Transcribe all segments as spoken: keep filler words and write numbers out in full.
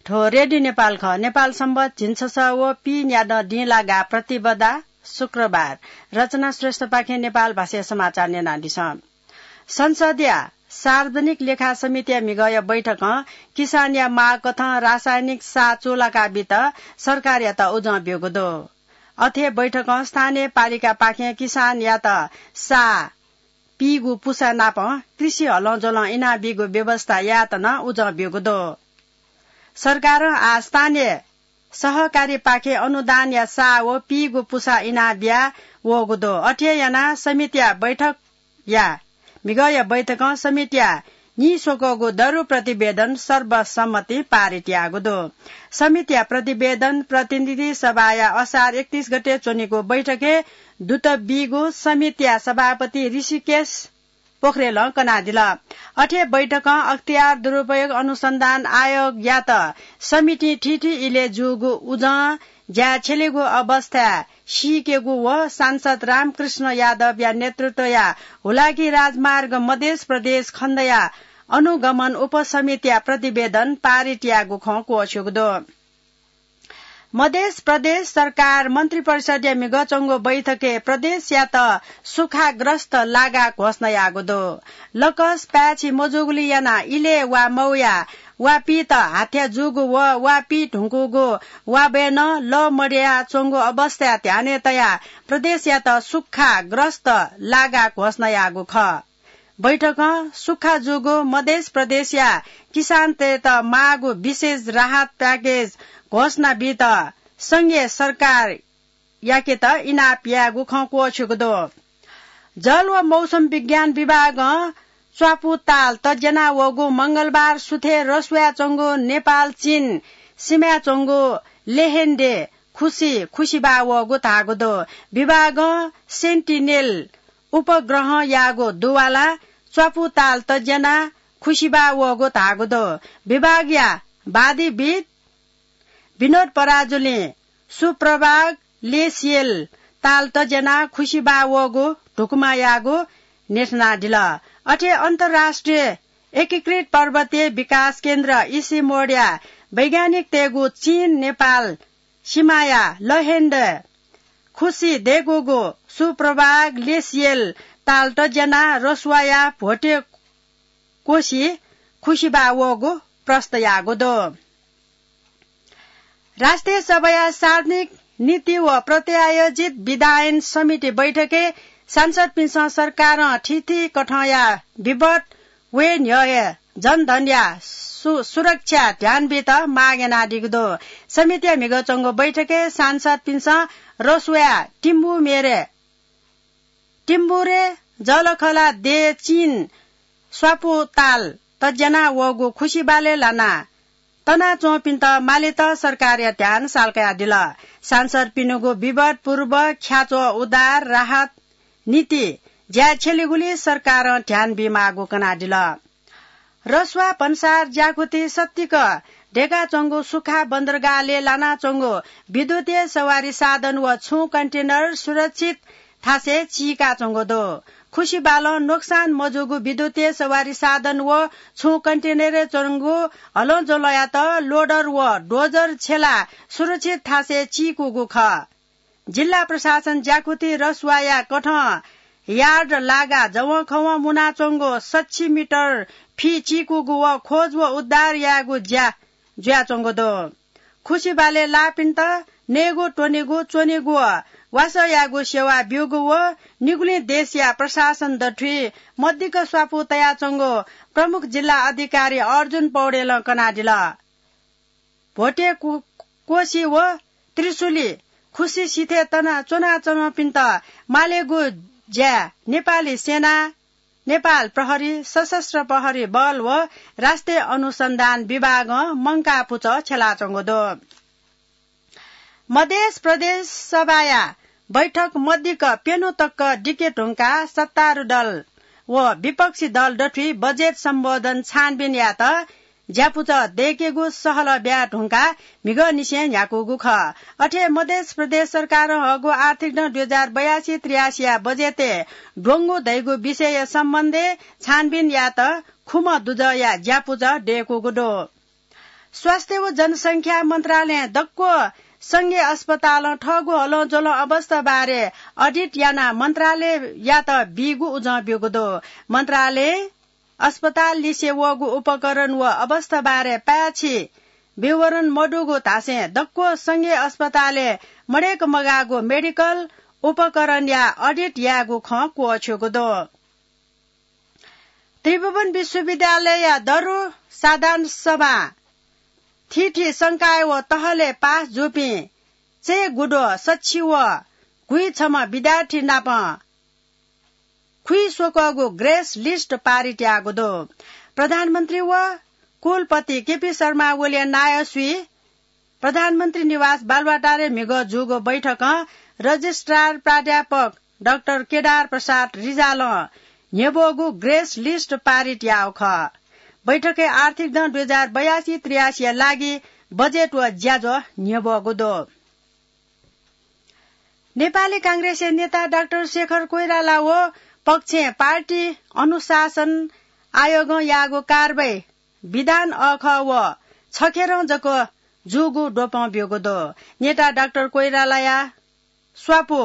थ्व रेडियो नेपाल खः। नेपाल संवत झिंछसः व पीन्यादँ दिं लागा प्रतिपदा शुक्रबार। रचना श्रेष्ठपाखें नेपाल भाषाया समाचार न्यनादिसँ। संसदया सार्वजनिक लेखा समितिया म्हिगःया बैठकं किसानया माग कथं रासायनिक साः चूलाका बीत सरकारयात उजं ब्यूगु दु। अथे बैठकं स्थानीय पालिकापाखें किसानयात साः पीगु पुसा नाप कृषि हलंज्वलं इनाबीगु व्यवस्था यायेत नं उजं ब्यूगु दु। सरकारं आः स्थानीय सहकारीपाखें अनुदानया साः व पीगु पुसा इनाबिया वःगु दु। अथे यानाः समितिया बैठकया, म्हिगःया बैठकं समितिया नीस्वकःगु दरु प्रतिवेदन सर्वसम्मतिं पारित याःगु दु। समितिया प्रतिवेदन प्रतिनिधि सभाया असार एकतीस गते च्वनीगु बैठकय् दुत बीगु समितिया सभापति ऋषिकेश पोखरेलं कनादिल। अथे बैठकं अख्तियार दुरुपयोग अनुसन्धान आयोगयात समितिं थीथी इलय् जूगु उजं ज्या छ्यलेगु अवस्था सीकेगु व सांसद रामकृष्ण यादवया नेतृत्वया हुलाकी राजमार्ग मधेस प्रदेश खण्डया अनुगमन उपसमितिया प्रतिवेदन पारित याःगु खँ क्वःछ्यूगु दु। मधेस प्रदेश सरकार मन्त्रिपरिषदया म्हिगः च्वंगु बैठकय् प्रदेशयात सुखाग्रस्त लागा घोषणा याःगु दु। लकस पाय्छि मजूगुलिं यानाः इलय् वा मौया वापित हाथ्या जूगु व वापी धुंकूगु वाबय् नं लः मदया च्वंगु अवस्था ध्यानय् तयाः प्रदेशयात सुखाग्रस्त लागा घोषणा याःगु खः। बैठकं सुखा जूगु मधेस प्रदेशया किसानतय्‌त माःगु विशेष राहत प्याकेज घोषणा बीत संघीय सरकार याकेत इनाप यायेगु खँ क्वःछ्यूगु दु। जल व मौसम विज्ञान विभागं च्वापु ताल तज्याना वःगु मंगलबार सुथय् रसुवाय् च्वंगु नेपाल चीन सीमाय् च्वंगु लेहेन्डे खुसी खुसिबा वःगु धाःगु दु। विभागं सेन्टिनेल उपग्रहं याःगु दुवालां च्वापु ताल तज्याना खुसिबा वःगु धाःगु दु। विभागया वादीविद विनोद पराजुलिं सुप्रभाग लेसियल ताल तज्याना खुसिबा वःगु धुकुमा याःगु नेथनादिल। अथे अन्तर्राष्ट्रिय एकीकृत पर्वतीय विकास केन्द्र इसिमोडया वैज्ञानिकतय्‌गु चीन नेपाल सीमाया लहेन्डे खुसी दय्‌कूगु सुप्रभाग लेसियल ताल तज्याना रसुवाया भ्वते कोसी खुसिबा वःगु प्रस्त याःगु दु। राष्ट्रिय सभाया सार्वजनिक नीति व प्रत्यायोजित विधायन समिति बैठकय् सांसदपिन्सं सरकारं थीथी कथंया विपद वये न्ह्यः हे जनधनया सु-, सुरक्षा ध्यान बीत माग यानादीगु दु। समितिया म्हिगः च्वंगु बैठकय् सांसदपिन्सं रसुवाया तिम्बु मेरे तिम्बुरे जलखला दे चीन स्वापु ताल तज्याना वःगु खुसिबालय् लाना तनाच्वंपिन्त मालेत सरकारया ध्यान सालकयादिल। सांसदपिनिगु विवाद पूर्व ख्याच्वः उद्धार राहत नीति ज्या छ्यलेगुली सरकारं ध्यान बीमाःगु कनादिल। रसुवा भन्सार ज्याकुथि सत्तिक दय्काच्वंगु सुखा बन्दरगाहलय् लानाच्वंगु विद्युतीय सवारी साधन व छुं कन्टेनर सुरक्षित थासय् चीकाच्वंगु दु। खुसिबालं नोक्सान मजूगु विद्युतीय सवारी साधन व छुं कन्टेनरय् च्वंगु हलंज्वलंयात लोडर व डोजर छ्यलाः सुरक्षित थासय् चीकूगु खः। जिल्ला प्रशासन ज्याकुथि रसुवाया कथं यार्ड लागा जवंखवं मुनाच्वंगु सच्छि मिटर फि चीकूगु व खोज व उद्धार यायेगु ज्या जुयाच्वंगु दु। खुसिबालय् लाःपिन्त नयेगु, त्वनेगु, च्वनेगु व वासः यायेगु सेवा ब्यूगु व निगुलिं देशया प्रशासन दथुइ मदिक्क स्वापू तयाच्वंगु प्रमुख जिल्ला अधिकारी अर्जुन पौडेलं कनादिल। भोटे कु-, कोशी व त्रिशुली खुसी सिथय् तना च्वनाच्वंपिन्त मालेगु ज्या नेपाली सेना, नेपाल प्रहरी, सशस्त्र प्रहरी बल व राष्ट्रिय अनुसन्धान विभागं मंकाः पुचः छ्यलाच्वंगु दु। मधेस प्रदेश सभाया बैठक मदिक्क प्यन्हु तक दिके धुंकाः सत्तारूढ दल व विपक्षी दल दथुइ बजेट सम्बोधन छानबिन यायेत ज्यापुचः दय्केगु सहलह ब्याये धुंकाः म्हिगःनिसें न्ह्याकूगु खः। अथे मधेस प्रदेश सरकारं हःगु आर्थिक नं दुई हजार बयासी त्रियासीया बजेटय् द्वंगु धइगु विषय सम्बन्धय् छानबिन यायेत खुम्ह दुजःया ज्यापुचः दय्कूगु दु। स्वास्थ्य व जनसंख्या मन्त्रालयं दक्व संघीय अस्पतालं थःगु हलंज्वलं अवस्था बारे अडिट यानाः मन्त्रालययात बीगु उजं ब्यूगु दु। मन्त्रालयं अस्पताल लिसे वःगु उपकरण व अवस्था बारे पाय्छि विवरण मदुगु धासें दक्व संघीय अस्पतालय् मदय्क मगाःगु मेडिकल उपकरणया अडिट यायेगु खँ क्वःछ्यूगु दु। त्रिभुवन विश्वविद्यालयया दरु साधारण सभा थीथी संकाय व तहलय् पास जूपिं चय्गुद्वः सछि व गुइछम्ह विद्यार्थी नाप खुइ स्वकःगु ग्रेस लिस्ट पारित याःगु दु। प्रधानमन्त्री व कुलपति केपी शर्मा ओलीया नायःसुइ प्रधानमन्त्री निवास बालुवाटारय् म्हिगः जूगु बैठकं रजिस्ट्रार प्राध्यापक डाक्टर केदार प्रसाद रिजालं न्ह्यब्वःगु ग्रेस लिस्ट पारित याःगु खः। बैठकय् आर्थिक दँ दुई हजार बयासी त्रियासीया लागि बजेट व ज्याझ्वः न्ह्यब्वःगु दु। नेपाली कांग्रेसया नेता डाक्टर शेखर कोइराला व पक्षं पार्टी अनुशासन आयोगं याःगु कारवाही विधान अःखः व छखेरं जक जूगु द्वपं ब्यूगु दु। नेता डाक्टर कोइरालाया स्वापू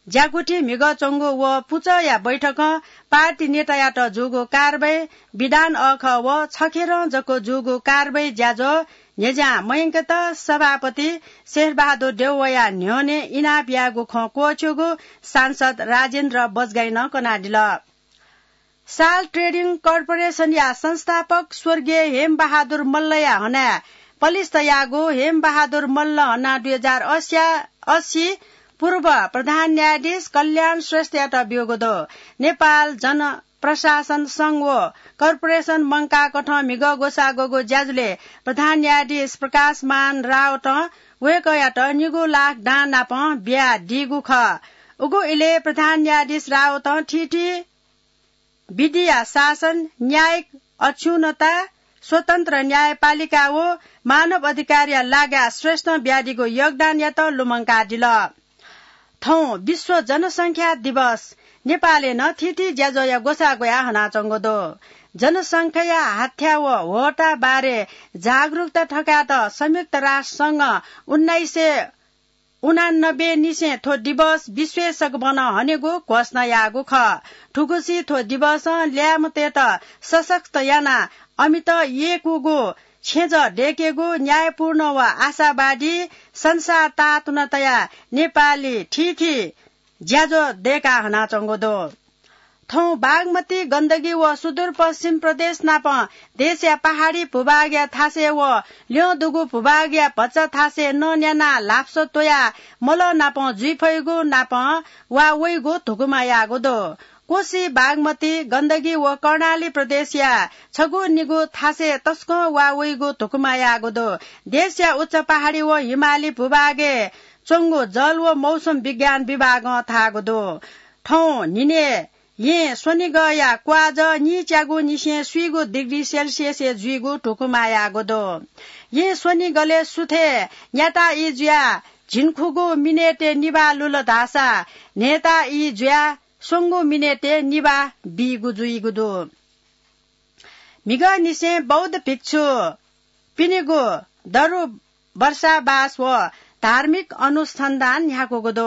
ज्याकुथि म्हिगः च्वंगु व पुचःया बैठकं पार्टी नेतायात जूगु कारवाही विधान अःखः व छखेरं जक जूगु कारवाही ज्याझ्वः न्ह्यज्यां मयंकेत सभापति शेरबहादुर देउवाया न्ह्यःने इनाप यायेगु खँ क्वःछ्यूगु सांसद राजेन्द्र बज्गाइनं कनादिल। साल ट्रेडिङ कर्पोरेसनया संस्थापक स्वर्गीय हेमबहादुर मल्लया हनाय् पलिस्था याःगु हेमबहादुर मल्ल हना दुई हजार अस्सी, अस्सी पूर्व प्रधान न्यायाधीश कल्याण श्रेष्ठयात ब्यूगु दु। नेपाल जनप्रशासन संघ व कर्पोरेसन मंकाःकथं म्हिगः ग्वसाः ग्वःगु ज्याझ्वलय् प्रधान न्यायाधीश प्रकाशमान रावतं वय्कःयात निगू लाख दां नाप बियादीगु खः। उगु इलय् प्रधान न्यायाधीश रावतं थीथी विधिया शासन, न्यायिक अक्षुण्णता, स्वतन्त्र न्यायपालिका व मानव अधिकारया लागाय् श्रेष्ठं बियादीगु योगदानयात लुमंकादिल। थौं विश्व जनसंख्या दिवस। नेपालय् नं थीथी ज्याझ्वःया ग्वसाः ग्वयाः हनाच्वंगु दु। जनसंख्याया हाथ्या व ह्वःता बारे जागरुकता थकायेत संयुक्त राष्ट्र संघं उन्नाइस सय उनानब्बे निसें थ्व दिवस विश्वय् सकभनं हनेगु घोषणा याःगु खः। थुगुसी थ्व दिवसं ल्याय्म्हतय्त सशक्त यानाः अमित यय्कूगु छेँजः दय्केगु, न्यायपूर्ण व आशावादी संसार तातुना तयाः नेपाली थीथी ज्याझ्वः दय्काः हनाच्वंगु दु। थौं बागमती, गण्डकी व सुदूरपश्चिम प्रदेश नाप देशया पहाडी भूभागया थासय् व ल्यं दुगु भूभागया भचा थासय् नं न्यानाः ल्हापस त्वयाः मलं नाप जुइ फइगु नाप वा वइगु धुकुमा याःगु दु। कोशी, बागमती, गण्डकी व कर्णाली प्रदेशया छगू निगू थासय् तसकं वा वइगु धुकुमा याःगु दु। देशया उच्च पहाडी व हिमाली भूभागय् च्वंगु जल व मौसम विज्ञान विभागं धाःगु दु। थौं न्हिनय् यें स्वनिगःया क्वाःजः नीच्यागू निसें स्वीगू डिग्री सेल्सियसय् जुइगु धुकुमा याःगु दु। यें स्वनिगलय् सुथय् न्याता ई जुयाः झिंखुगू मिनेटय् निभाः लुल धाःसा न्हय्ता ई जुयाः स्वंगू मिनेटय् निभाः बीगु जुइगु दु। म्हिगःनिसें बौद्ध भिक्षुपिनिगु दरु वर्षावास व धार्मिक अनुसन्धान न्ह्याकूगु दु।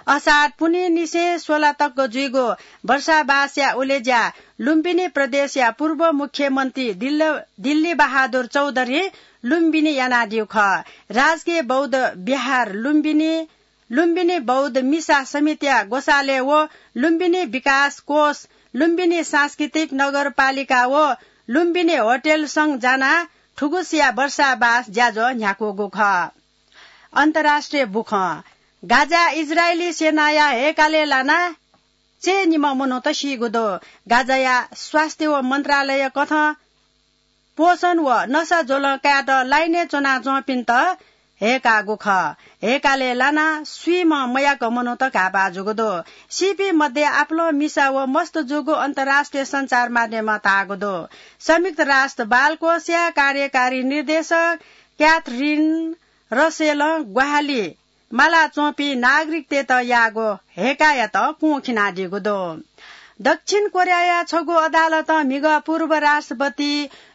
असार पुन्हिनिसें स्वला तक जुइगु वर्षावासया उलेज्या लुम्बिनी प्रदेशया पूर्व मुख्यमन्त्री दिल्ल-, दिल्ली बहादुर चौधरी लुम्बिनी यानादीगु खः। राजकीय बौद्ध विहार लुम्बिनी, लुम्बिनी बौद्ध मिसा समितिया ग्वसालय् व लुम्बिनी विकास कोष, लुम्बिनी सांस्कृतिक नगरपालिका व लुम्बिनी होटल संघ जानाः थुगुसिया वर्षावास ज्याझ्वः न्ह्याकूगु खः। अन्तर्राष्ट्रिय बुखँ। गाजाय् इजरायली सेनाया हय्कालय् लानाः चय्निम्ह मनूत सीगु दु। गाजाया स्वास्थ्य व मन्त्रालय कथं पोषण व नसा ज्वलं कायेत लाइनय् च्वनाच्वंपिन्त हय्काःगु खः। हय्कालय् लानाः स्वीम्ह मयाक मनूत घाःपाः जूगु दु। सीपिं मध्ये आपालं मिसा व मस्त जूगु अन्तर्राष्ट्रिय सञ्चार माध्यमं धाःगु दु। संयुक्त राष्ट्र बालकोषया कार्यकारी निर्देशक क्याथरिन रसेलं ग्वाहालि मालाच्वंपिं नागरिकतय्त याःगु हय्कायात कुंखिनादीगु दु। दक्षिण कोरियाया छगू अदालतं म्हिगः पूर्व राष्ट्रपति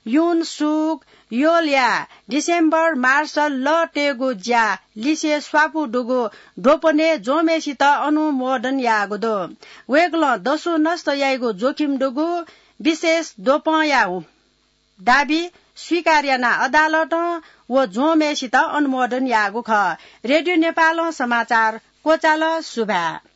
युन सुक योलया डिसेम्बर मार्च लः तयेगु ज्या लिसे स्वापू दुगु द्वपनय् ज्वंम्हय्‌सित अनुमोदन याःगु दु। वय्‌कलं दसु नष्ट याइगु जोखिम दुगु विशेष द्वपंया दाबी स्वीकार यानाः अदालतं व ज्वंम्हय्‌सित अनुमोदन याःगु खः। रेडियो नेपालं समाचार क्वचाल। सुभाय्।